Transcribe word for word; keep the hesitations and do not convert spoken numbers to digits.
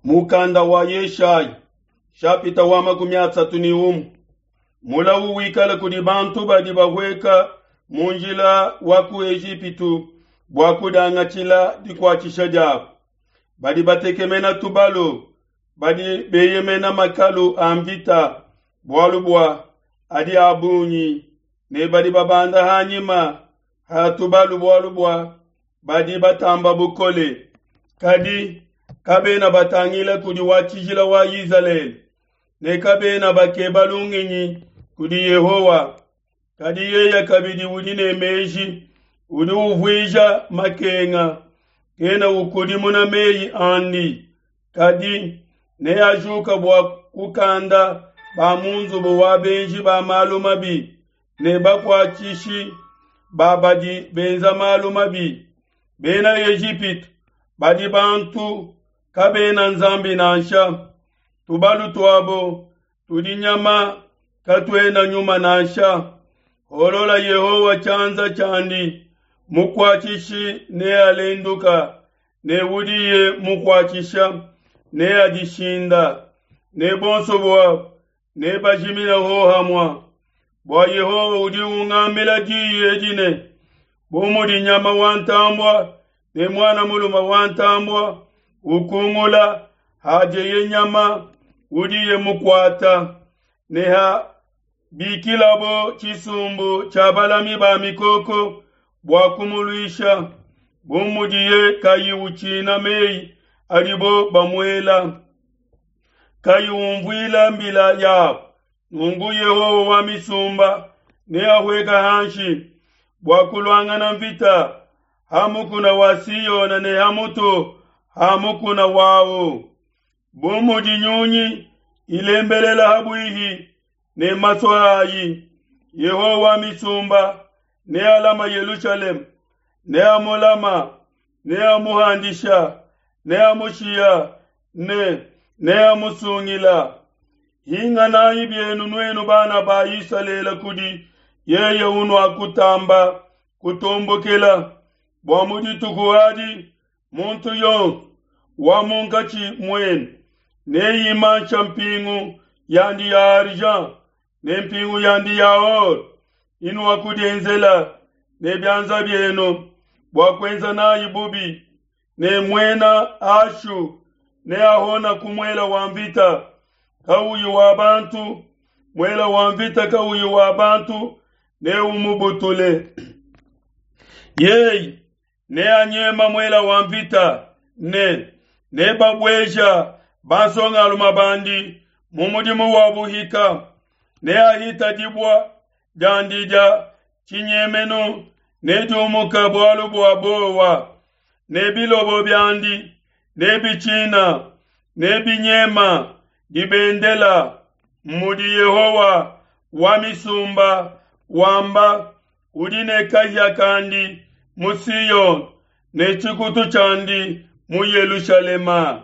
Mukanda wa Yeshaya shapita wa makumi asatu ni umwe mulawu wikala kudi bantu badi bahueka mu njila wa ku Ejipitu bua kudiangatshila dikuatshisha diabo. Badi batekemena tubalu, badi beyemena makalu a mvita, bualu bua adi a bungi, ne badi babanda hanyima ha tubalu bualu bua badi batamba bukole. Kadi kabena batangila kudi wa tshijila wa Izalele, ne kabena bakeba lungenyi kudi Yehowa. Kadi yeye kabidi udi ne meji, udi uvuija makenga, kena ukudimuna meyi andi, kadi neajuka bua kukanda ba mu nzubu wa benji ba malu mabi ne bakuatshishi ba badi benza malu mabi. Bena Ejipitu badi bantu, kabena nzambi nansha. Tubalu tuabo tudi nyama, katuena nyuma nansha. Holola Yehowa tshianza tshiandi, mukuatshishi nealenduka, ne udiye mukuatshisha neadishinda, ne bonso buabo nebajimine hohamue. Bua Yehowa udi ungambila diyi edi ne, bu mudi nyama wa ntambua ne muana mulume wa ntambua ukungula hadieye nyama udiye mukuata, ne ha bikilabo tshisumbu tshia balami ba mikoko bua kumuluisha, bu mudiye kayi utshina meyi adibo bamuela, kayi umvuila mbila yabo, nunku Yehowa wa misumba neahueka hanshi bua kuluangana mvita ha mukuna wa Siona ne ha mutu ha mukuna wawu. Bu mudi nyunyi ilembelela ha buihi ne masua ayi, Yehowa wa misumba nealama Yelushalema, neamulama, neamuhandisha, neamushiya ne neamusungila. Hinganayi bienu nuenu bana ba Isalele kudi yeye unuakutamba kutombokela, bua mu dituku adi muntu yonso wa munkatshi muenu neimansha mpingu yandi ya argent ne mpingu yandi ya or inuakudienzela ne bianza bienu bua kuenza nayi bubi, ne muena Ashu neahona ku muela wa mvita kauyi wa bantu, muela wa mvita kauyi wa bantu neumubutule. Yeye neanyema muela wa mvita ne nebabueja bansongalume bandi mu mudimu wa buhika, neahita dibua diandi dia tshinyemenu nediumuka bualu bua bowa, ne bilobo biandi nebitshina nebinyema dibendela. Mudi Yehowa wa misumba wamba, udi ne kahia kandi mu Siona ne tshikutu tshiandi mu Yelushalema.